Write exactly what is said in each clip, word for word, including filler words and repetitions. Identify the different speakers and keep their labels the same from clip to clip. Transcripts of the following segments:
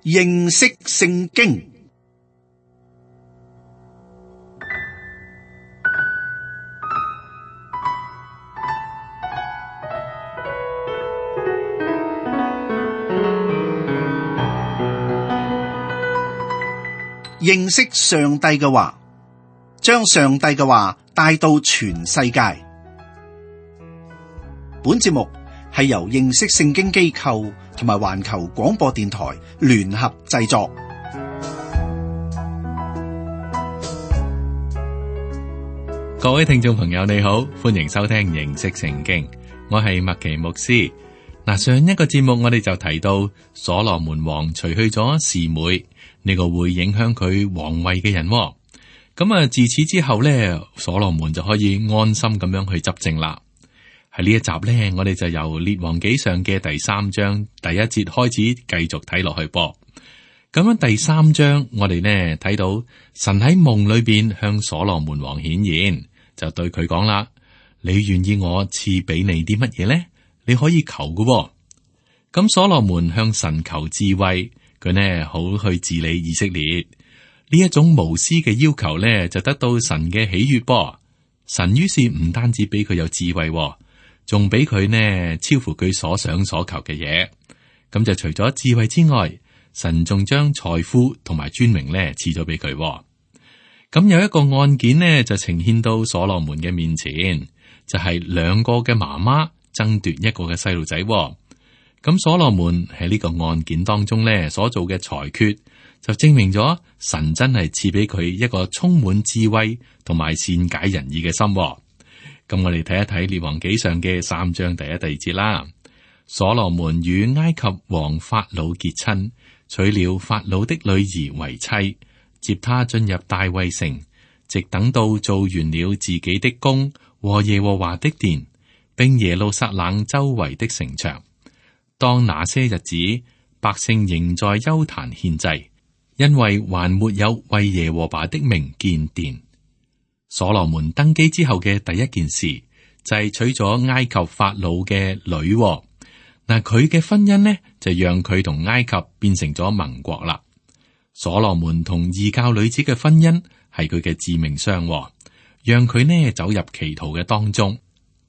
Speaker 1: 認識聖經。認識上帝嘅話，將上帝嘅話帶到全世界。本節目係由認識聖經機構同埋環球廣播電台聯合製作。
Speaker 2: 各位聽眾朋友，你好，歡迎收聽認識聖經。我係麥奇牧師。嗱，上一個節目我哋就提到所羅門王除去咗示每呢個會影響佢皇位嘅人，咁啊自此之後呢，所羅門就可以安心咁樣去執政啦。喺呢一集呢，我哋就由列王紀上嘅第三章第一節開始繼續睇落去噃。咁樣第三章我哋呢睇到神喺夢裏邊向所羅門王顯現，就對佢講啦：你願意我賜俾你啲乜嘢呢？你可以求嘅喎。咁所羅門向神求智慧，佢呢好去治理以色列。呢一種無私嘅要求呢，就得到神嘅喜悅噃。神於是唔單止俾佢有智慧，仲俾佢呢超乎佢所想所求嘅嘢。咁就除咗智慧之外，神仲將財富同埋尊榮呢賜咗俾佢。咁有一個案件呢，就呈現到所羅門嘅面前，就係兩個嘅媽媽爭奪一個嘅細路仔。咁所羅門喺呢個案件當中呢所做嘅裁決，就證明咗神真係賜俾佢一個充滿智慧同埋善解人意嘅心。咁我哋睇一睇列王紀上嘅三章第一、第二節啦。所羅門與埃及王法老結親，娶了法老的女兒為妻，接他進入大衛城，直等到做完了自己的宮和耶和華的殿，並耶路撒冷周圍的城牆。當那些日子，百姓仍在邱壇獻祭，因為還沒有為耶和華的名建殿。所羅門登基之後嘅第一件事就係娶咗埃及法老嘅女。嗱，佢嘅婚姻呢就讓佢同埃及變成咗盟國啦。所羅門同異教女子嘅婚姻係佢嘅致命傷，讓佢呢走入歧途嘅當中。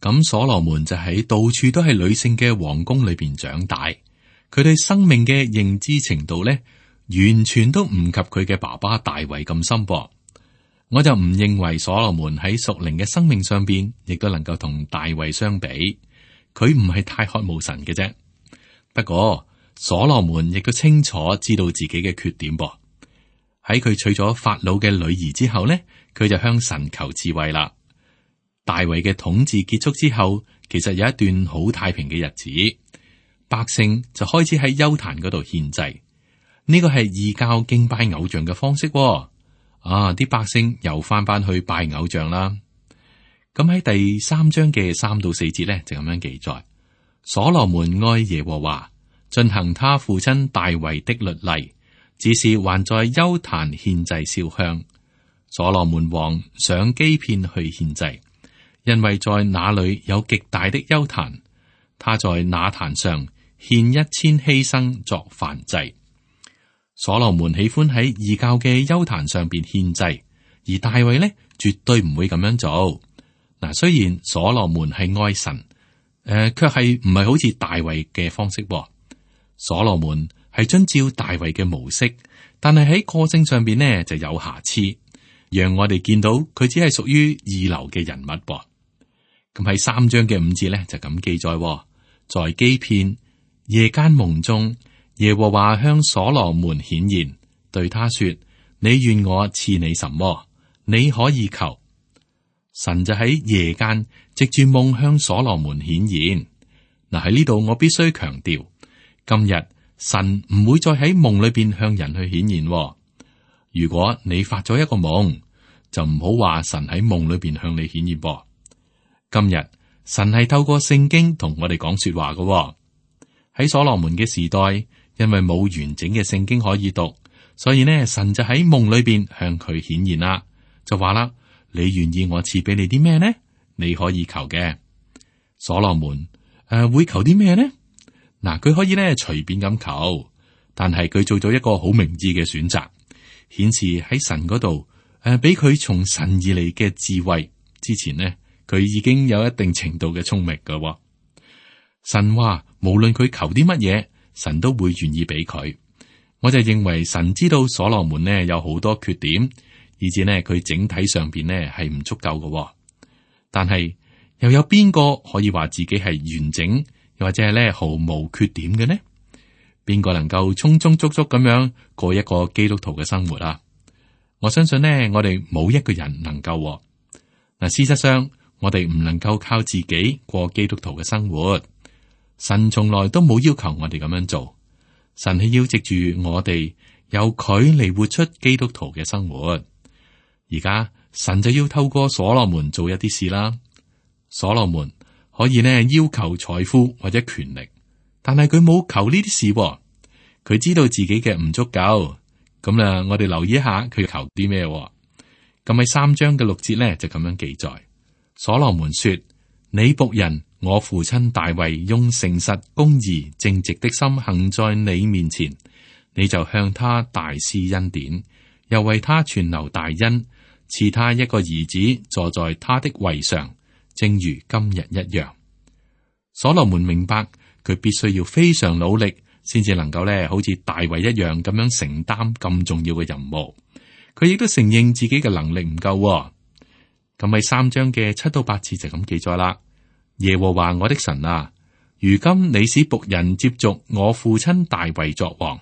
Speaker 2: 咁所羅門就喺到處都係女性嘅皇宮裏邊長大，佢對生命嘅認知程度呢，完全都唔及佢嘅爸爸大衛咁深噃。我就唔認為所羅門喺屬靈嘅生命上邊，亦都能夠同大衛相比。佢唔係太渴慕神嘅啫。不過所羅門亦都清楚知道自己嘅缺點噃。喺佢娶咗法老嘅女兒之後呢，佢就向神求智慧啦。大衛嘅統治結束之後，其實有一段好太平嘅日子，百姓就開始喺邱壇嗰度獻祭。呢個係異教敬拜偶像嘅方式。啊！啲百姓又翻返去拜偶像啦。咁喺第三章嘅三到四節咧，就咁樣記載：所羅門愛耶和華，進行他父親大衛的律例，只是還在邱壇獻祭燒香。所羅門王上基遍去獻祭，因為在那裏有極大的邱壇，他在那壇上獻一千犧牲作燔祭。所羅門喜歡喺異教嘅邱壇上邊獻祭，而大衛呢絕對唔會咁樣做。嗱，雖然所羅門係愛神，誒、呃，卻係唔係好似大衛嘅方式。所羅門係遵照大衛嘅模式，但係喺個性上邊呢就有瑕疵，讓我哋見到佢只係屬於二流嘅人物。噃，咁喺三章嘅五節呢就咁記載：在基遍夜間夢中，耶和華向所羅門顯現，對他說：你願我賜你什麼，你可以求。神就喺夜間藉住夢向所羅門顯現。嗱，喺呢度我必須強調，今日神唔會再喺夢裏邊向人去顯現。如果你發咗一個夢，就唔好話神喺夢裏邊向你顯現噃。今日神係透過聖經同我哋講說話嘅。喺所羅門嘅時代，因為冇完整嘅聖經可以讀，所以呢，神就喺夢裏邊向佢顯現啦，就話啦：你願意我賜俾你啲咩呢？你可以求嘅。所羅門誒、呃、會求啲咩呢？嗱，佢可以咧隨便咁求，但係佢做咗一個好明智嘅選擇，顯示喺神嗰度誒，俾佢從神而嚟嘅智慧。之前呢，佢已經有一定程度嘅聰明噶。神話無論佢求啲乜嘢，神都會願意俾佢。我就認為神知道所羅門呢有好多缺點，以至呢佢整體上邊呢係唔足夠嘅。但係又有邊個可以話自己係完整，又或者係咧毫無缺點嘅呢？邊個能夠充充足足咁樣過一個基督徒嘅生活啊？我相信呢，我哋冇一個人能夠。嗱，事實上我哋唔能夠靠自己過基督徒嘅生活。神從來都冇要求我哋咁樣做。神係要藉住我哋由佢嚟活出基督徒嘅生活。而家神就要透過所羅門做一啲事啦。所羅門可以呢要求財富或者權力，但係佢冇求呢啲事。佢知道自己嘅唔足夠。咁啦，我哋留意一下佢求啲咩。咁喺三章嘅六節呢，就咁樣記載。所羅門說：你僕人我父親大衛用誠實、公義、正直的心行在你面前，你就向他大施恩典，又為他存留大恩，賜他一個兒子坐在他的位上，正如今日一樣。所羅門明白佢必須要非常努力，先至能夠咧好似大衛一樣咁樣承擔咁重要嘅任務。佢亦都承認自己嘅能力唔夠。咁喺三章嘅七到八節就咁記載啦。耶和華我的神啊，如今你使僕人接續我父親大衛作王，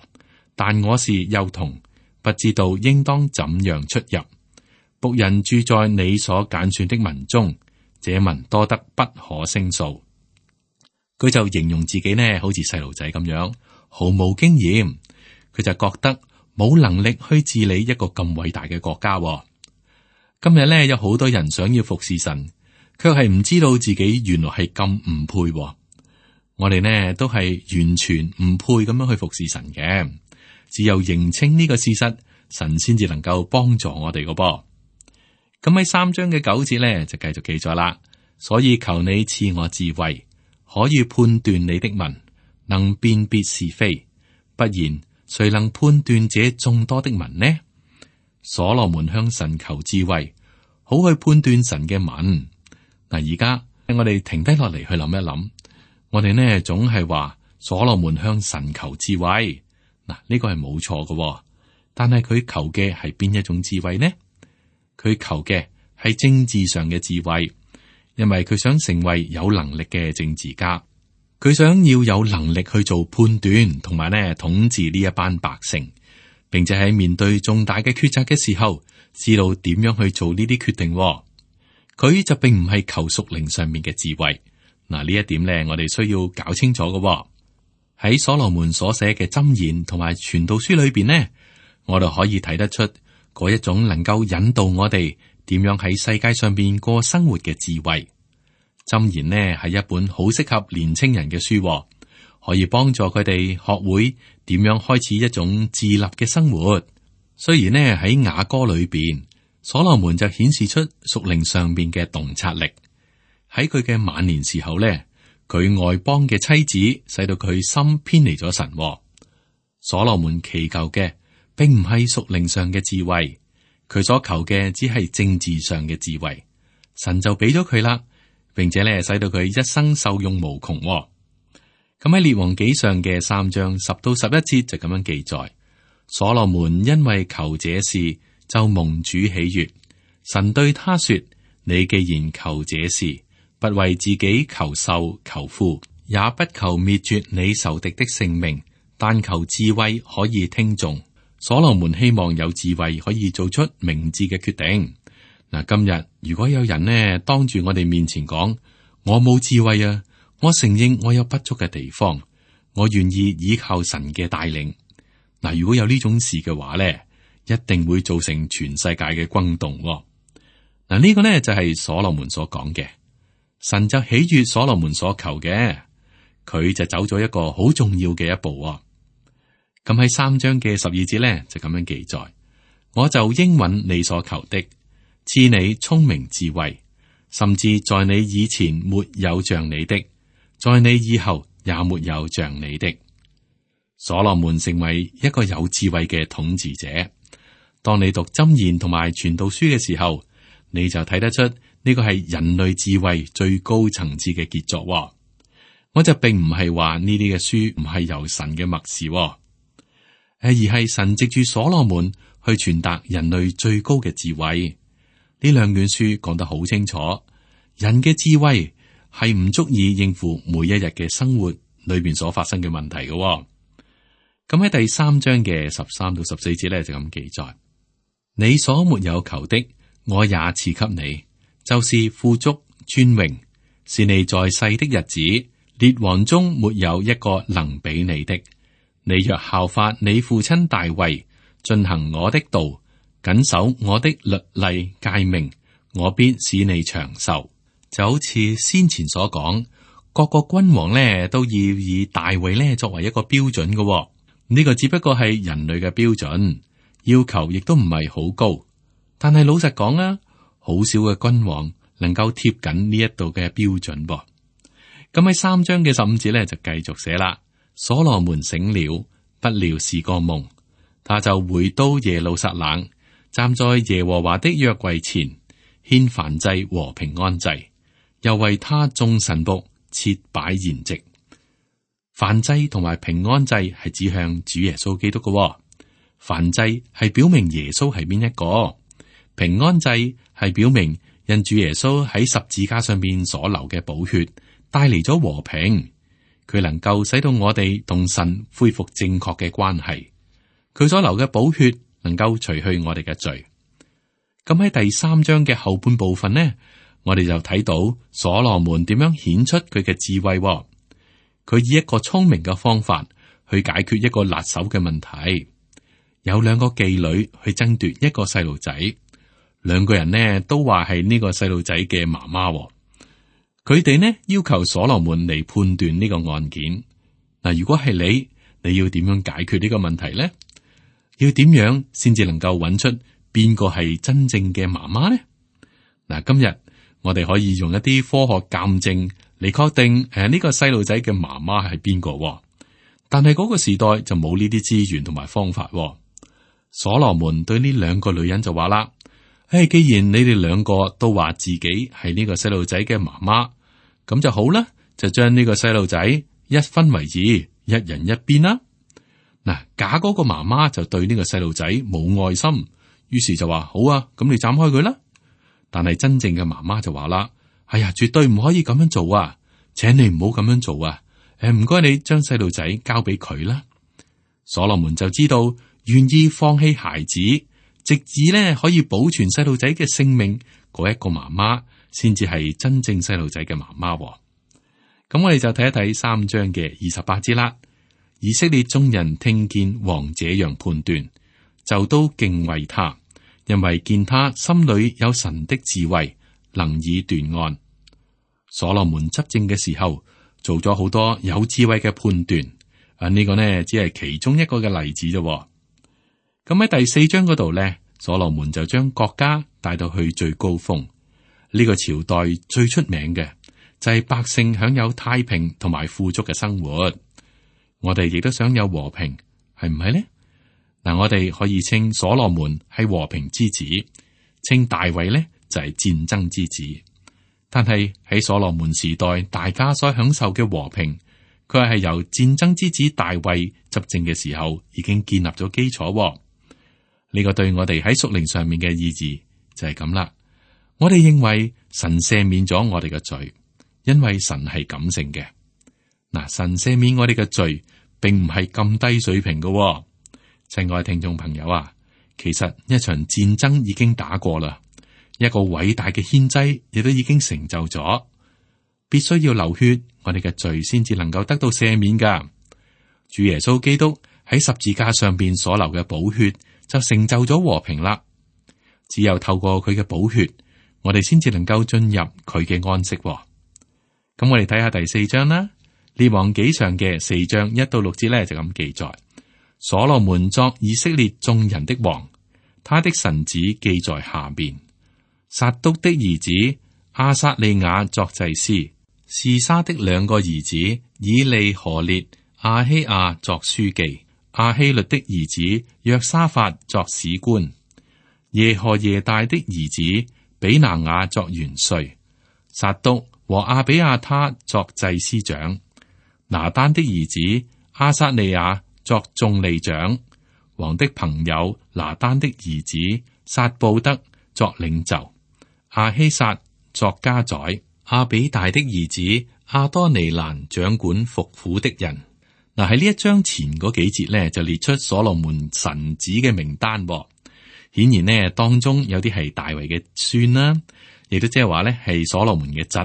Speaker 2: 但我是幼童，不知道應當怎樣出入。僕人住在你所揀選的民中，這民多得不可勝數。佢就形容自己呢，好似細路仔咁樣，毫無經驗。佢就覺得冇能力去治理一個咁偉大嘅國家。今日呢，有好多人想要服侍神，卻係唔知道自己原來係咁唔配。我哋呢都係完全唔配咁樣去服侍神嘅，只有認清呢個事實，神先至能夠幫助我哋嘅噃。咁喺三章嘅九節呢，就繼續記載啦。所以求你賜我智慧，可以判斷你的民，能辨別是非，不然誰能判斷這眾多的民呢？所羅門向神求智慧，好去判斷神嘅民。嗱，而家我哋停低落嚟去諗一諗，我哋呢總係話所羅門向神求智慧，嗱，呢個係冇錯嘅，但係佢求嘅係邊一種智慧呢？佢求嘅係政治上嘅智慧，因為佢想成為有能力嘅政治家，佢想要有能力去做判斷，同埋呢統治呢一班百姓，並且喺面對重大嘅抉擇嘅時候，知道點樣去做呢啲決定。佢就並唔係求屬靈上面嘅智慧。嗱，呢一點呢，我哋需要搞清楚嘅。喺所羅門所寫嘅箴言同埋傳道書裏邊呢，我哋可以睇得出嗰一種能夠引導我哋點樣喺世界上邊過生活嘅智慧。箴言呢係一本好適合年青人嘅書，可以幫助佢哋學會點樣開始一種自立嘅生活。雖然呢喺雅歌裏邊，所羅門就顯示出屬靈上邊嘅洞察力。喺佢嘅晚年時候呢，佢外邦嘅妻子使到佢心偏離咗神。所羅門祈求嘅並唔係屬靈上嘅智慧，佢所求嘅只係政治上嘅智慧，神就俾咗佢啦，並且咧使到佢一生受用無窮。咁喺列王紀上嘅三章十到十一節就咁樣記載：所羅門因為求這事，就蒙主喜悅。神對他說：你既然求這事，不為自己求壽求富，也不求滅絕你仇敵的性命，但求智慧可以聽從。所羅門希望有智慧可以做出明智嘅決定。嗱，今日如果有人呢當住我哋面前講，我冇智慧啊，我承認我有不足嘅地方，我願意依靠神嘅帶領。嗱，如果有呢種事嘅話咧，一定會造成全世界嘅轟動。嗱，呢個呢就係所羅門所講嘅，神就喜悅所羅門所求嘅，佢就走咗一個好重要嘅一步。咁喺三章嘅十二節咧就咁樣記載：我就應允你所求的，賜你聰明智慧，甚至在你以前沒有像你的，在你以後也沒有像你的。所羅門成為一個有智慧嘅統治者。當你讀箴言同埋傳道書嘅時候，你就睇得出呢個係人類智慧最高層次嘅傑作。我就並唔係話呢啲嘅書唔係由神嘅默示，誒，而係神藉住所羅門去傳達人類最高嘅智慧。呢兩卷書講得好清楚，人嘅智慧係唔足以應付每一日嘅生活裏邊所發生嘅問題嘅。咁喺第三章嘅十三到十四節咧就咁記載：你所沒有求的，我也賜給你，就是富足尊榮，是你在世的日子，列王中沒有一個能比你的。你若效法你父親大衛，進行我的道，謹守我的律例誡命，我必使你長壽。就好似先前所講，各個君王呢都要以大衛呢作為一個標準嘅、哦。呢個只不過係人類嘅標準，要求亦都唔係好高。但係老實講啊，好少嘅君王能夠貼緊呢一度嘅標準噃。咁喺三章嘅十五節咧就繼續寫啦。所羅門醒了，不料是個夢，他就回到耶路撒冷，站在耶和華的約櫃前，獻燔祭和平安祭，又為他眾臣僕設擺筵席。燔祭同埋平安祭係指向主耶穌基督嘅、哦，燔祭係表明耶穌係邊一個，平安祭係表明因主耶穌喺十字架上邊所流嘅寶血帶嚟咗和平，佢能夠使到我哋同神恢復正確嘅關係，佢所流嘅寶血能夠除去我哋嘅罪。咁喺第三章嘅後半部分呢，我哋就睇到所羅門點樣顯出佢嘅智慧、哦。佢以一個聰明嘅方法去解決一個辣手嘅問題。有兩個妓女去爭奪一個細路仔，兩個人呢都話係呢個細路仔嘅媽媽。佢哋呢要求所羅門嚟判斷呢個案件。嗱，如果係你，你要點樣解決呢個問題呢？要點樣先至能夠揾出邊個係真正嘅媽媽呢？嗱，今日我哋可以用一啲科學鑑證嚟確定誒呢個細路仔嘅媽媽係邊個，但係嗰個時代就冇呢啲資源同埋方法。所羅門對呢兩個女人就話啦：誒，既然你哋兩個都話自己係呢個細路仔嘅媽媽，咁就好啦，就將呢個細路仔一分為二，一人一邊啦。嗱，假嗰個媽媽就對呢個細路仔冇愛心，於是就話好啊，咁你斬開佢啦。但係真正嘅媽媽就話啦：哎呀，絕對唔可以咁樣做啊！請你唔好咁樣做啊！誒，唔該你將細路仔交俾佢啦。所羅門就知道願意放棄孩子，直至呢可以保存細路仔嘅性命嗰一個媽媽，先至係真正細路仔嘅媽媽。咁我哋就睇一睇三章嘅二十八節啦。以色列眾人聽見王這樣判斷，就都敬畏他，因為見他心裏有神的智慧，能以斷案。所羅門執政嘅時候，做咗好多有智慧嘅判斷。啊，呢個呢只係其中一個嘅例子啫。咁喺第四章嗰度呢，所羅門就將國家帶到去最高峰。呢個朝代最出名嘅就係百姓享有太平同埋富足嘅生活。我哋亦都想有和平，係唔係呢？嗱，我哋可以稱所羅門係和平之子，稱大衛呢就係戰爭之子。但係喺所羅門時代，大家所享受嘅和平，佢係由戰爭之子大衛執政嘅時候已經建立咗基礎。呢個對我哋喺屬靈上面嘅意義就係咁啦。我哋認為神赦免咗我哋嘅罪，因為神係感性嘅。嗱，神赦免我哋嘅罪，並唔係咁低水平嘅。親愛聽眾朋友啊，其實一場戰爭已經打過啦，一個偉大嘅獻祭亦都已經成就咗，必須要流血，我哋嘅罪先至能夠得到赦免噶。主耶穌基督喺十字架上邊所流嘅寶血，就成就咗和平啦。只有透過佢嘅寶血，我哋先至能夠進入佢嘅安息。咁我哋睇下第四章啦，列王紀上嘅四章一到六節咧就咁記載。所羅門作以色列眾人的王，他的臣子記在下邊。撒督的兒子亞撒利雅作祭司，示沙的兩個兒子以利何列、亞希亞作書記，亞希律的兒子約沙法作史官，耶何耶大的兒子比拿雅作元帥，撒督和亞比亞他作祭司長，拿單的兒子亞撒利亞作眾利長，王的朋友拿單的兒子撒布德作領袖，亞希撒作家宰，亞比大的兒子亞多尼蘭掌管服苦的人。嗱，喺呢一章前嗰幾節咧，就列出所羅門臣子嘅名單。顯然呢，當中有啲係大衛嘅孫啦，亦都即係話咧係所羅門嘅侄。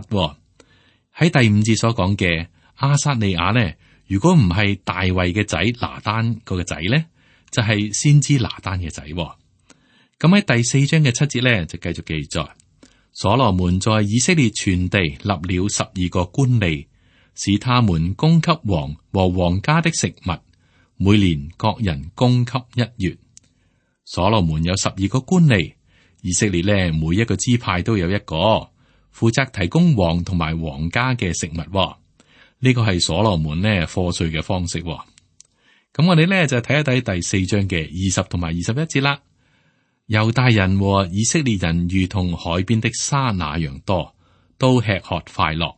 Speaker 2: 喺第五節所講嘅亞撒利亞呢，如果唔係大衛嘅仔拿單嗰個仔咧，就係、是、先知拿單嘅仔。咁喺第四章嘅七節咧，就繼續記載所羅門在以色列全地立了十二個官吏，使他們供給王和王家的食物，每年各人供給一月。所羅門有十二個官吏，以色列咧每一個支派都有一個，負責提供王同埋王家嘅食物。呢個係所羅門咧課稅嘅方式。咁我哋咧就睇一睇第四章嘅二十同埋二十一節啦。猶大人和以色列人如同海邊的沙那樣多，都吃喝快樂。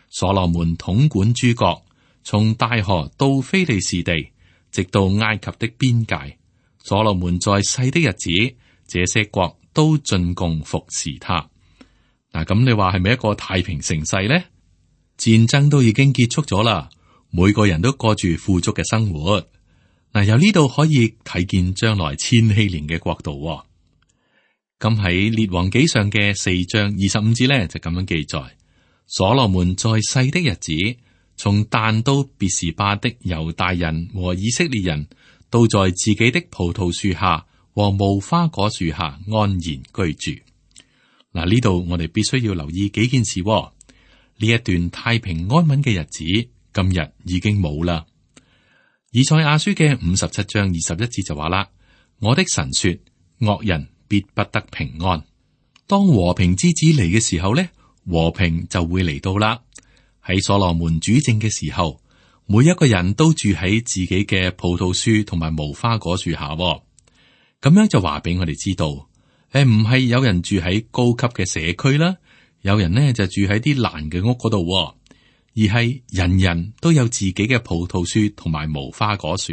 Speaker 2: 所羅門統管諸國，從大河到非利士地，直到埃及的邊界。所羅門在世的日子，這些國都進貢服侍他。嗱，咁你話係咪一個太平盛世呢？戰爭都已經結束咗啦，每個人都過住富足嘅生活。嗱，由呢度可以睇見將來千禧年嘅國度。咁喺列王紀上嘅四章二十五節咧，就咁樣記載：所羅門在世的日子，從但到別是巴的猶大人和以色列人，都在自己的葡萄樹下和無花果樹下安然居住。嗱，呢度我哋必須要留意幾件事。呢一段太平安穩嘅日子，今日已經冇啦。以賽亞書嘅五十七章二十一節就話啦：我的神說，惡人必不得平安。當和平之子嚟嘅時候呢，和平就會嚟到啦。喺所羅門主政嘅時候，每一個人都住喺自己嘅葡萄樹同埋無花果樹下。咁樣就話俾我哋知道，誒，唔係有人住喺高級嘅社區啦，有人呢就住喺啲爛嘅屋嗰度，而係人人都有自己嘅葡萄樹同埋無花果樹，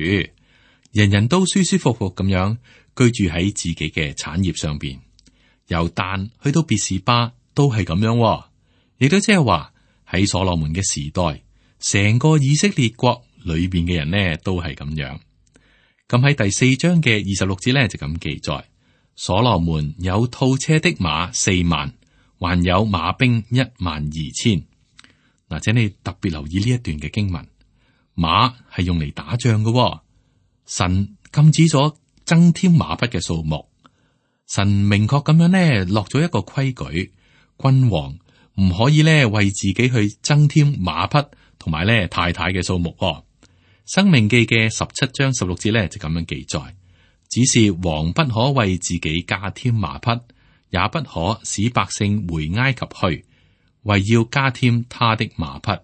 Speaker 2: 人人都舒舒服服咁樣居住喺自己嘅產業上邊。由但去到別是巴都係咁樣，亦都即係話喺所羅門嘅時代，成個以色列國裏邊嘅人呢都係咁樣。咁喺第四章嘅二十六節咧就咁記載：所羅門有套車的馬四萬，還有馬兵一萬二千。嗱，請你特別留意呢一段嘅經文，馬係用嚟打仗嘅。神禁止咗增添馬匹嘅數目，神明確咁樣呢落咗一個規矩，君王唔可以呢為自己去增添馬匹同埋呢太太嘅數目。申命記嘅十七章十六節呢就咁樣記載，只是王不可為自己加添馬匹，也不可使百姓回埃及去，為要加添他的馬匹，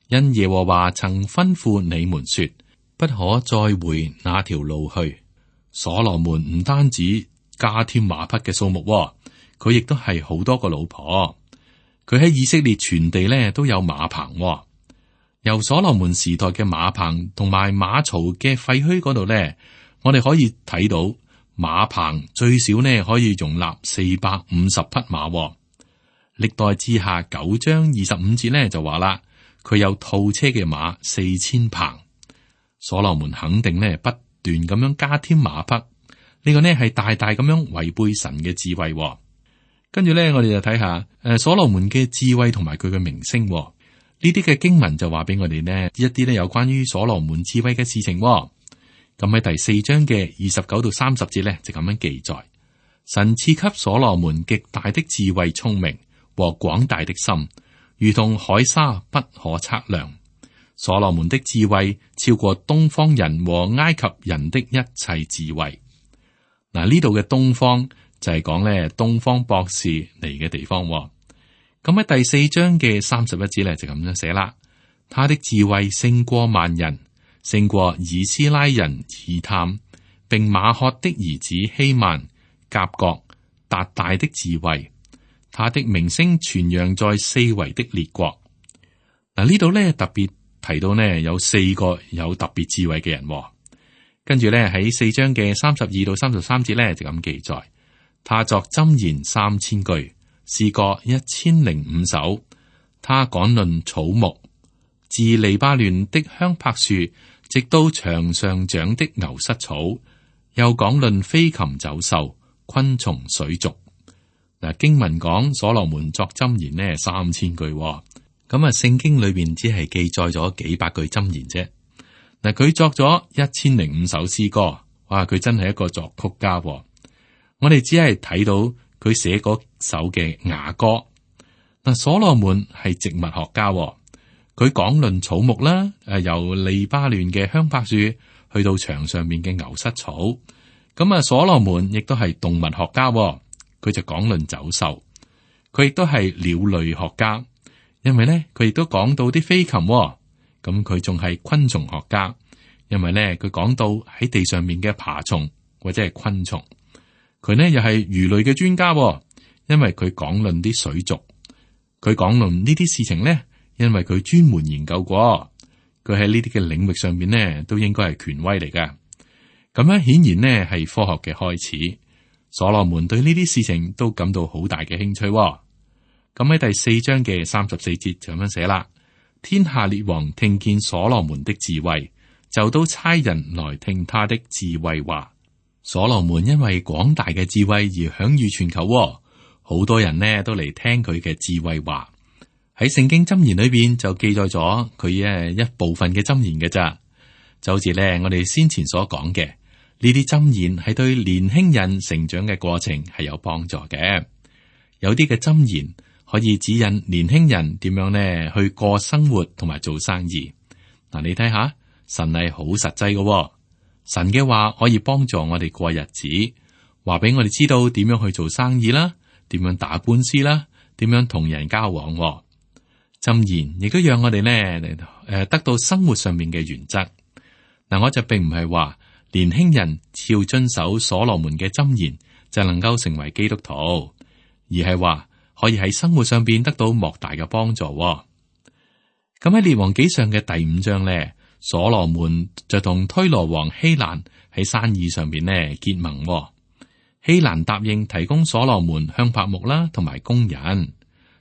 Speaker 2: 因耶和華曾吩咐你們說，不可再回那條路去。所羅門唔單止加添馬匹嘅數目，佢亦都係好多個老婆。佢喺以色列全地咧都有馬棚。由所羅門時代嘅馬棚同埋馬槽嘅廢墟嗰度咧，我哋可以睇到馬棚最少呢可以容納四百五十匹馬。歷代志下九章二十五節咧就話啦，佢有套車嘅馬四千棚。所羅門肯定呢不斷咁樣加添馬匹，呢、這個呢係大大咁樣違背神嘅智慧。跟住咧，我哋就睇下誒所羅門嘅智慧同埋佢嘅名聲。呢啲嘅經文就話俾我哋呢一啲咧有關於所羅門智慧嘅事情。咁喺第四章嘅二十九到三十節咧就咁樣記載：神賜給所羅門極大的智慧、聰明和廣大的心，如同海沙不可測量。所羅門的智慧超過東方人和埃及人的一切智慧。嗱，呢度嘅東方就係講咧東方博士嚟嘅地方。咁喺第四章嘅三十一節咧就咁樣寫啦，他的智慧勝過萬人，勝過以斯拉人以探，並馬赫的兒子希曼、甲國、達大的智慧。他的名聲傳揚在四圍的列國。嗱，呢度咧特別提到呢，有四個有特別智慧嘅人。跟住咧喺四章嘅三十二到三十三節咧就咁記載，他作箴言三千句，詩歌一千零五首。他講論草木，自利巴嫩的香柏樹，直到牆上長的牛膝草，又講論飛禽走獸、昆蟲水族。嗱，經文講所羅門作箴言呢三千句，咁啊聖經裏邊只係記載咗幾百句箴言啫。嗱，佢作咗一千零五首詩歌，哇！佢真係一個作曲家。我哋只係睇到佢寫嗰首嘅雅歌。嗱，所羅門係植物學家，佢講論草木啦，誒，由利巴嫩嘅香柏樹去到牆上面嘅牛膝草。咁啊，所羅門亦都係動物學家。佢就講論走獸，佢亦都係鳥類學家，因為咧佢亦都講到啲飛禽，咁佢仲係昆蟲學家，因為咧佢講到喺地上面嘅爬蟲或者係昆蟲，佢呢又係魚類嘅專家，因為佢講論啲水族，佢講論呢啲事情咧，因為佢專門研究過，佢喺呢啲嘅領域上面呢都應該係權威嚟㗎，咁樣顯然呢係科學嘅開始。所羅門對呢啲事情都感到好大嘅興趣。咁喺第四章嘅三十四節就咁樣寫啦：天下列王聽見所羅門的智慧，就都差人來聽他的智慧話。所羅門因為廣大嘅智慧而享譽全球，好多人呢都嚟聽佢嘅智慧話。喺聖經箴言裏邊就記載咗佢誒一部分嘅箴言嘅咋，就好似咧我哋先前所講嘅。呢啲箴言係對年輕人成長嘅過程係有幫助嘅，有啲嘅箴言可以指引年輕人點樣呢去過生活同埋做生意。嗱，你睇下，神係好實際嘅，神嘅話可以幫助我哋過日子，話俾我哋知道點樣去做生意啦，點樣打官司啦，點樣同人交往。箴言亦都讓我哋呢誒得到生活上面嘅原則。嗱，我就並唔係話。年輕人要遵守所羅門嘅箴言就能夠成為基督徒，而係話可以喺生活上邊得到莫大嘅幫助。咁喺列王紀上嘅第五章咧，所羅門就同推羅王希蘭喺生意上邊咧結盟。希蘭答應提供所羅門香柏木啦，同埋工人。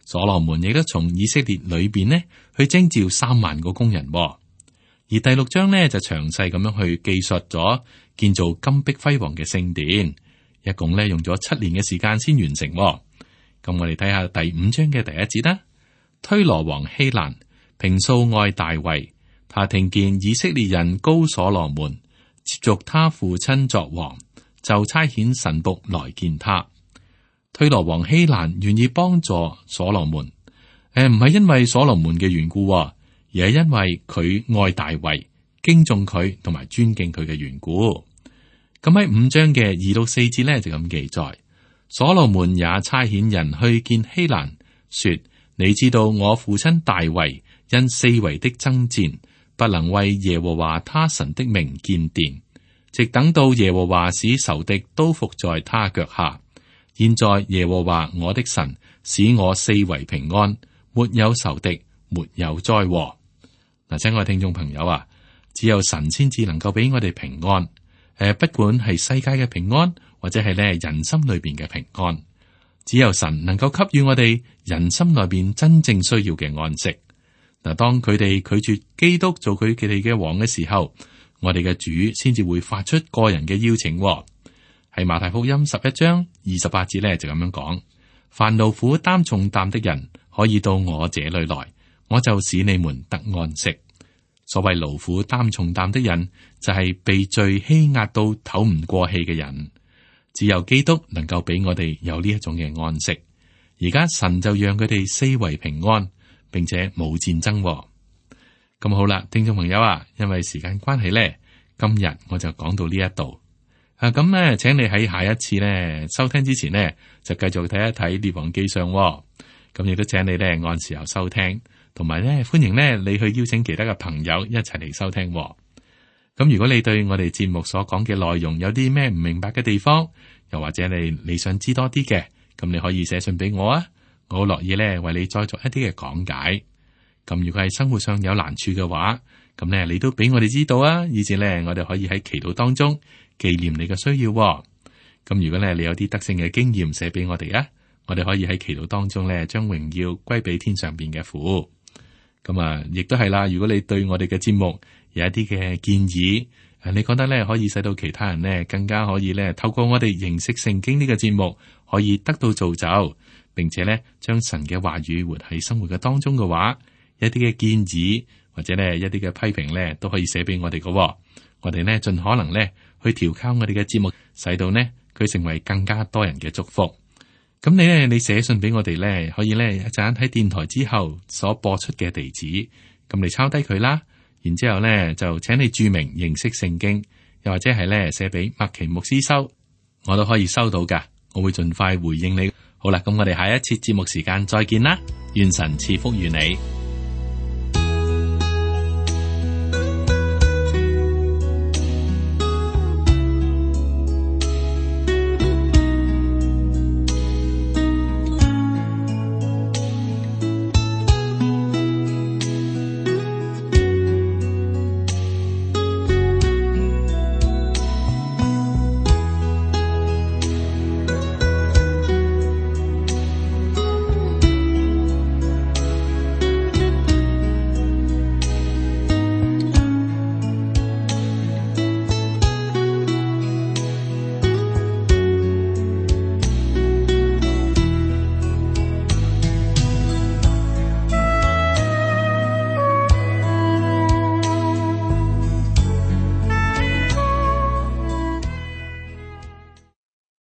Speaker 2: 所羅門亦都從以色列裏邊呢去徵召三萬個工人。而第六章呢，就詳細咁樣去記述咗建造金碧輝煌嘅聖殿，一共呢用咗七年嘅時間先完成。咁我哋睇下第五章嘅第一節啦。推羅王希蘭平素愛大衛，他聽見以色列人膏所羅門，接續他父親作王，就差遣臣僕來見他。推羅王希蘭願意幫助所羅門，誒唔係因為所羅門嘅緣故。而係因為佢愛大衛、敬重佢同埋尊敬佢嘅緣故。咁喺五章嘅二到四節咧就咁記載，所羅門也差遣人去見希蘭，說：你知道我父親大衛因四圍的爭戰，不能為耶和華他神的名建殿，直等到耶和華使仇敵都伏在他腳下。現在耶和華我的神使我四圍平安，沒有仇敵，沒有災禍。嗱，親愛聽眾朋友啊，只有神先至能夠俾我哋平安。誒，不管係世界嘅平安，或者係咧人心裏邊嘅平安，只有神能夠給予我哋人心裏邊真正需要嘅安息。嗱，當佢哋拒絕基督做佢佢哋嘅王嘅時候，我哋嘅主先至會發出個人嘅邀請。喺馬太福音十一章二十八節咧就咁樣講：凡勞苦擔重擔的人，可以到我這裏來。我就使你們得安息。所謂勞苦擔重擔的人，就係、是、被罪欺壓到唞唔過氣嘅人。只有基督能夠俾我哋有呢一種嘅安息。而家神就讓佢哋四圍平安，並且冇戰爭。咁好啦，聽眾朋友啊，因為時間關係咧，今日我就講到呢一度。啊，咁咧，請你喺下一次咧收聽之前呢，就繼續睇一睇列王記上。咁亦都請你咧按時候收聽。同埋咧，歡迎咧你去邀請其他嘅朋友一齊嚟收聽。咁如果你對我哋節目所講嘅內容有啲咩唔明白嘅地方，又或者你你想知多啲嘅，咁你可以寫信俾我啊，我好樂意咧為你再作一啲嘅講解。咁如果係生活上有難處嘅話，咁咧你都俾我哋知道啊，以至咧我哋可以喺祈禱當中紀念你嘅需要。咁如果咧你有啲得勝嘅經驗寫俾我哋啊，我哋可以喺祈禱當中咧將榮耀歸俾天上邊嘅父。咁啊，亦都係啦。如果你對我哋嘅節目有一啲嘅建議，誒，你覺得咧可以使到其他人咧更加可以咧透過我哋認識聖經呢個節目，可以得到造就，並且咧將神嘅話語活喺生活嘅當中嘅話，一啲嘅建議或者咧一啲嘅批評咧都可以寫俾我哋嘅。我哋咧盡可能咧去調校我哋嘅節目，使到呢佢成為更加多人嘅祝福。咁你咧你寫信俾我哋咧，可以咧一陣喺電台之後所播出嘅地址，咁你抄低佢啦。然之後咧就請你注明認識聖經，又或者係咧寫俾麥奇牧師收，我都可以收到噶，我會盡快回應你。好啦，咁我哋下一次節目時間再見啦，願神賜福於你。